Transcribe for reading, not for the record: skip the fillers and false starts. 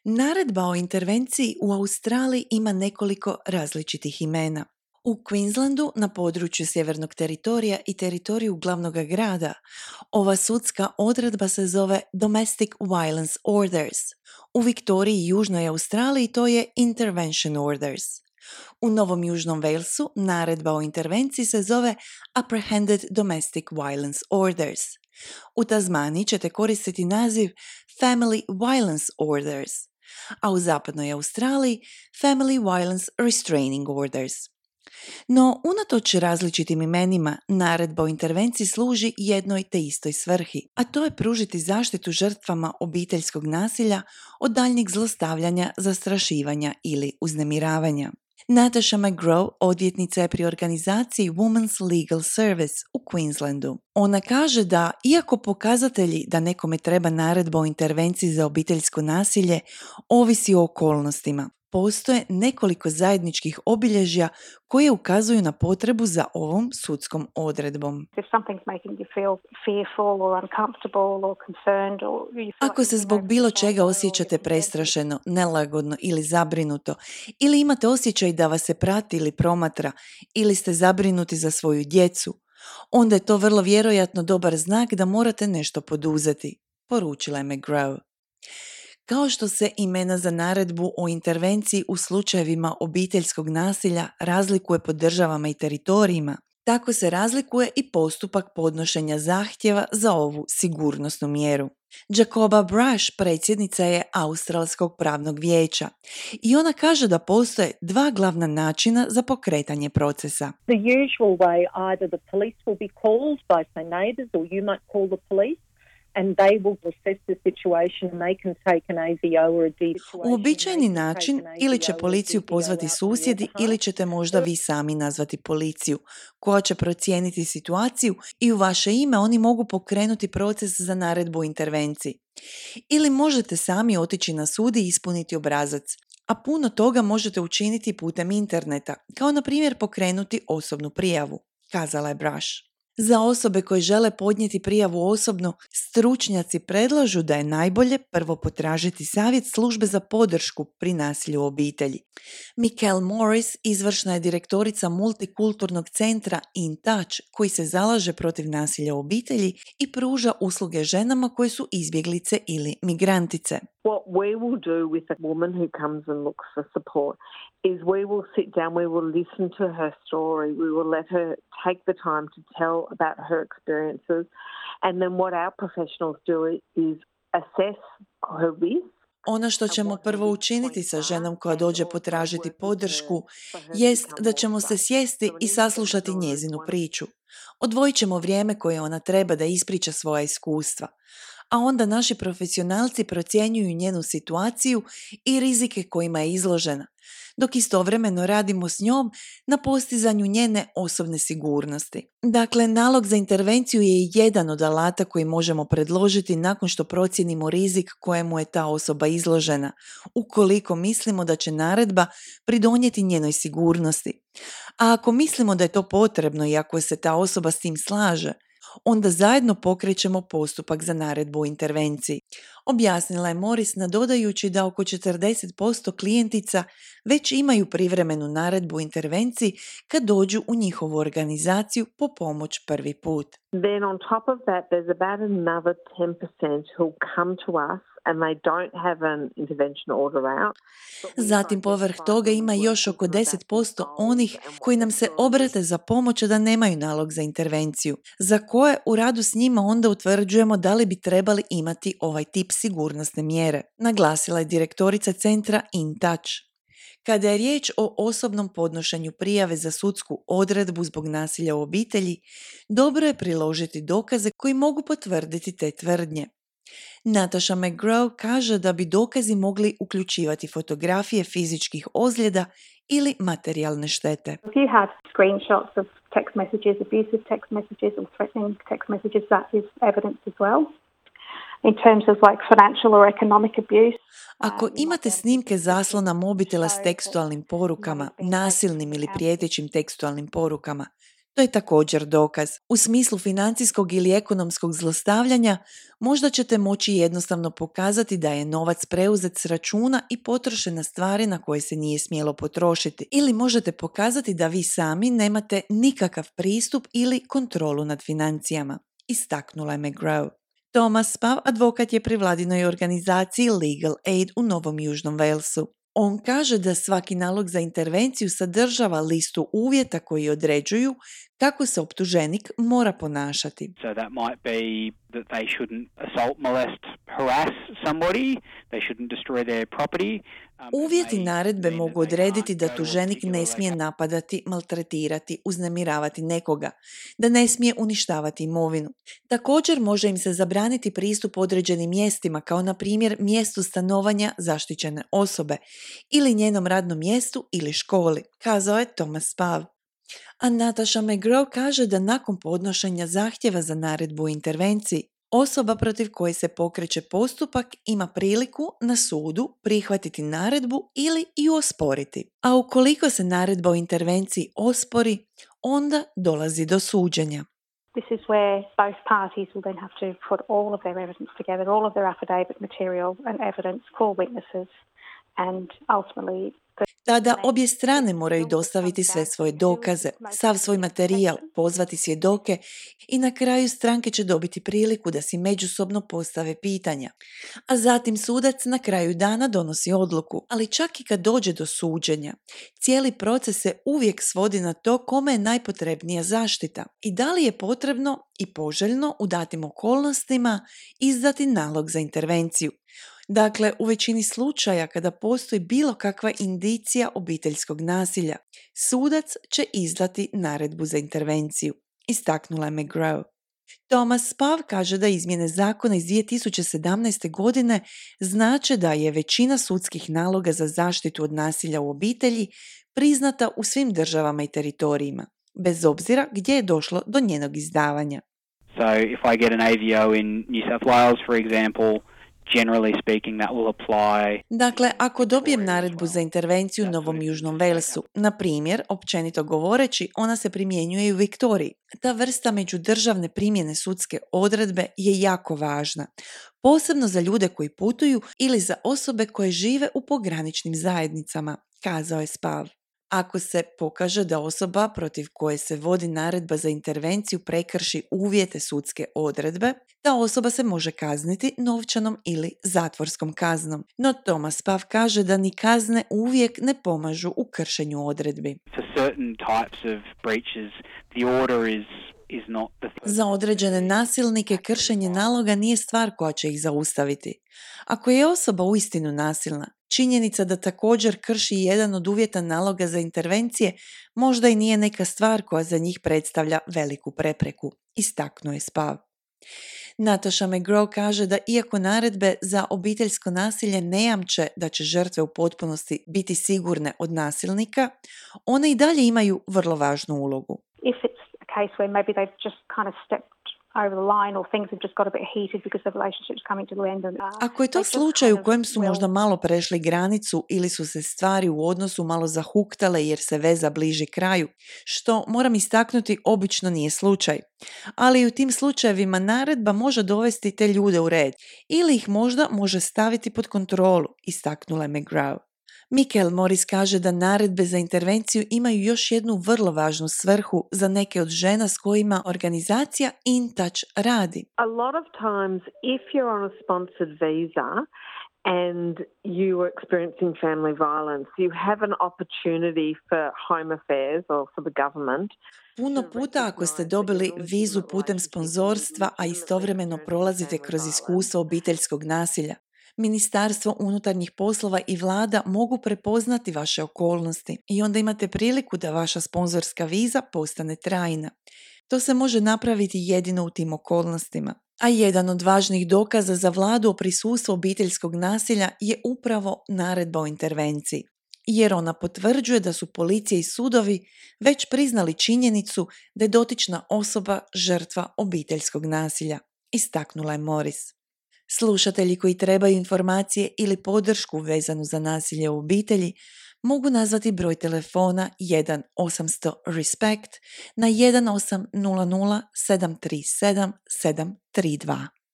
Naredba o intervenciji u Australiji ima nekoliko različitih imena. U Queenslandu, na području Sjevernog teritorija i teritoriju glavnog grada, ova sudska odredba se zove Domestic Violence Orders. U Viktoriji i Južnoj Australiji to je Intervention Orders. U Novom Južnom Walesu naredba o intervenciji se zove Apprehended Domestic Violence Orders. U Tasmaniji ćete koristiti naziv Family Violence Orders, a u Zapadnoj Australiji Family Violence Restraining Orders. No, unatoč različitim imenima, naredba o intervenciji služi jednoj te istoj svrhi, a to je pružiti zaštitu žrtvama obiteljskog nasilja od daljnjeg zlostavljanja, zastrašivanja ili uznemiravanja. Natasha McGraw odvjetnica je pri organizaciji Women's Legal Service u Queenslandu. Ona kaže da, iako pokazatelji da nekome treba naredba o intervenciji za obiteljsko nasilje ovisi o okolnostima, postoje nekoliko zajedničkih obilježja koje ukazuju na potrebu za ovom sudskom odredbom. Ako se zbog bilo čega osjećate prestrašeno, nelagodno ili zabrinuto, ili imate osjećaj da vas se prati ili promatra, ili ste zabrinuti za svoju djecu, onda je to vrlo vjerojatno dobar znak da morate nešto poduzeti, poručila je McGraw. Kao što se imena za naredbu o intervenciji u slučajevima obiteljskog nasilja razlikuje po državama i teritorijima, tako se razlikuje i postupak podnošenja zahtjeva za ovu sigurnosnu mjeru. Jacoba Brush predsjednica je Australskog pravnog vijeća i ona kaže da postoje dva glavna načina za pokretanje procesa. The usual way, either the police will be called by say neighbours or you might call the police. And they will assess the situation and they can take an AVO or a DV. Uobičajeni način ili će policiju pozvati susjedi ili ćete možda vi sami nazvati policiju koja će procijeniti situaciju i u vaše ime oni mogu pokrenuti proces za naredbu o intervenciji. Ili možete sami otići na sud i ispuniti obrazac, a puno toga možete učiniti putem interneta, kao na primjer pokrenuti osobnu prijavu, kazala je Brush. Za osobe koje žele podnijeti prijavu osobno, stručnjaci predlažu da je najbolje prvo potražiti savjet službe za podršku pri nasilju u obitelji. Michelle Morris, izvršna je direktorica multikulturnog centra In Touch, koji se zalaže protiv nasilja u obitelji i pruža usluge ženama koje su izbjeglice ili migrantice. What we will do with a woman who comes and looks for support is we will sit down, we will listen to her story, we will let her take the time to tell about her experiences, and then what our professionals do is assess her risk. Ono što ćemo prvo učiniti sa ženom koja dođe potražiti podršku jest da ćemo se sjesti i saslušati njezinu priču. Odvojit ćemo vrijeme koje ona treba da ispriča svoja iskustva, a onda naši profesionalci procjenjuju njenu situaciju i rizike kojima je izložena, dok istovremeno radimo s njom na postizanju njene osobne sigurnosti. Dakle, nalog za intervenciju je jedan od alata koji možemo predložiti nakon što procijenimo rizik kojemu je ta osoba izložena, ukoliko mislimo da će naredba pridonijeti njenoj sigurnosti. A ako mislimo da je to potrebno i ako se ta osoba s tim slaže, onda zajedno pokrećemo postupak za naredbu o intervenciji. Objasnila je Morris nadodajući da oko 40% klijentica već imaju privremenu naredbu o intervenciji kad dođu u njihovu organizaciju po pomoć prvi put. Then on top of that there's about another 10% who come to us and they don't have an intervention order out. Zatim povrh toga ima još oko 10% onih koji nam se obrate za pomoć da nemaju nalog za intervenciju, za koje u radu s njima onda utvrđujemo da li bi trebali imati ovaj tip sigurnosne mjere, naglasila je direktorica centra In Touch. Kada je riječ o osobnom podnošenju prijave za sudsku odredbu zbog nasilja u obitelji, dobro je priložiti dokaze koji mogu potvrditi te tvrdnje. Natasha McGraw kaže da bi dokazi mogli uključivati fotografije fizičkih ozljeda ili materijalne štete. If you have screenshots of text messages, abusive text messages or threatening text messages, that is evidence as well. In terms of like financial or economic abuse. Ako imate snimke zaslona mobitela s tekstualnim porukama, nasilnim ili prijetećim tekstualnim porukama, To je također dokaz. U smislu financijskog ili ekonomskog zlostavljanja možda ćete moći jednostavno pokazati da je novac preuzet s računa i potrošen na stvari na koje se nije smjelo potrošiti. Ili možete pokazati da vi sami nemate nikakav pristup ili kontrolu nad financijama, istaknula je McGraw. Thomas Spav, advokat je pri vladinoj organizaciji Legal Aid u Novom Južnom Walesu. On kaže da svaki nalog za intervenciju sadržava listu uvjeta koji određuju kako se optuženik mora ponašati. So that might be that they shouldn't assault, molest, harass somebody, they shouldn't destroy their property. Uvjeti naredbe mogu odrediti da tuženik ne smije napadati, maltretirati, uznemiravati nekoga, da ne smije uništavati imovinu. Također može im se zabraniti pristup određenim mjestima, kao na primjer mjestu stanovanja zaštićene osobe ili njenom radnom mjestu ili školi, kazao je Thomas Spav. A Natasha McGraw kaže da nakon podnošenja zahtjeva za naredbu o intervenciji, osoba protiv koje se pokreće postupak ima priliku na sudu prihvatiti naredbu ili ju osporiti. A ukoliko se naredba o intervenciji ospori, onda dolazi do suđenja. This is where both parties will then have to put all of their evidence together, all of their affidavit material and evidence, call witnesses, and ultimately Tada obje strane moraju dostaviti sve svoje dokaze, sav svoj materijal, pozvati svjedoke i na kraju stranke će dobiti priliku da si međusobno postave pitanja. A zatim sudac na kraju dana donosi odluku, ali čak i kad dođe do suđenja, cijeli proces se uvijek svodi na to kome je najpotrebnija zaštita i da li je potrebno i poželjno u datim okolnostima izdati nalog za intervenciju. Dakle, u većini slučaja kada postoji bilo kakva indicija obiteljskog nasilja, sudac će izdati naredbu za intervenciju, istaknula je McGraw. Thomas Spav kaže da izmjene zakona iz 2017. godine znače da je većina sudskih naloga za zaštitu od nasilja u obitelji priznata u svim državama i teritorijima, bez obzira gdje je došlo do njenog izdavanja. So if I get an AVO in New South Wales, for example, generally speaking, that will apply. Dakle, ako dobijem naredbu za intervenciju u Novom Južnom Walesu, na primjer, općenito govoreći, ona se primjenjuje i u Viktoriji. Ta vrsta međudržavne primjene sudske odredbe je jako važna, posebno za ljude koji putuju ili za osobe koje žive u pograničnim zajednicama, kazao je Spav. Ako se pokaže da osoba protiv koje se vodi naredba za intervenciju prekrši uvjete sudske odredbe, ta osoba se može kazniti novčanom ili zatvorskom kaznom. No Thomas Spav kaže da ni kazne uvijek ne pomažu u kršenju odredbi. For certain types of breaches, the order is not the... Za određene nasilnike kršenje naloga nije stvar koja će ih zaustaviti. Ako je osoba uistinu nasilna, činjenica da također krši jedan od uvjeta naloga za intervencije možda i nije neka stvar koja za njih predstavlja veliku prepreku, istaknuo je Spav. Natasha McGraw kaže da iako naredbe za obiteljsko nasilje ne jamče da će žrtve u potpunosti biti sigurne od nasilnika, one i dalje imaju vrlo važnu ulogu. if it's a case where maybe they've just kind of stepped over the line or things have just got a bit heated because the relationship's coming to the end. Ako je to slučaj u kojem su možda malo prešli granicu ili su se stvari u odnosu malo zahuktale jer se veza bliži kraju, što moram istaknuti obično nije slučaj. Ali u tim slučajevima naredba može dovesti te ljude u red ili ih možda može staviti pod kontrolu, istaknula je McGraw. Michael Morris kaže da naredbe za intervenciju imaju još jednu vrlo važnu svrhu za neke od žena s kojima organizacija InTouch radi. A lot of times if you're on a sponsored visa and you are experiencing family violence, you have an opportunity for Home Affairs or for the government. Puno puta ako ste dobili vizu putem sponzorstva, a istovremeno prolazite kroz iskustvo obiteljskog nasilja, Ministarstvo unutarnjih poslova i vlada mogu prepoznati vaše okolnosti i onda imate priliku da vaša sponzorska viza postane trajna. To se može napraviti jedino u tim okolnostima. A jedan od važnih dokaza za vladu o prisustvu obiteljskog nasilja je upravo naredba o intervenciji, jer ona potvrđuje da su policija i sudovi već priznali činjenicu da je dotična osoba žrtva obiteljskog nasilja, istaknula je Morris. Slušatelji koji trebaju informacije ili podršku vezanu za nasilje u obitelji mogu nazvati broj telefona 1-800-RESPECT na 1800 737 732.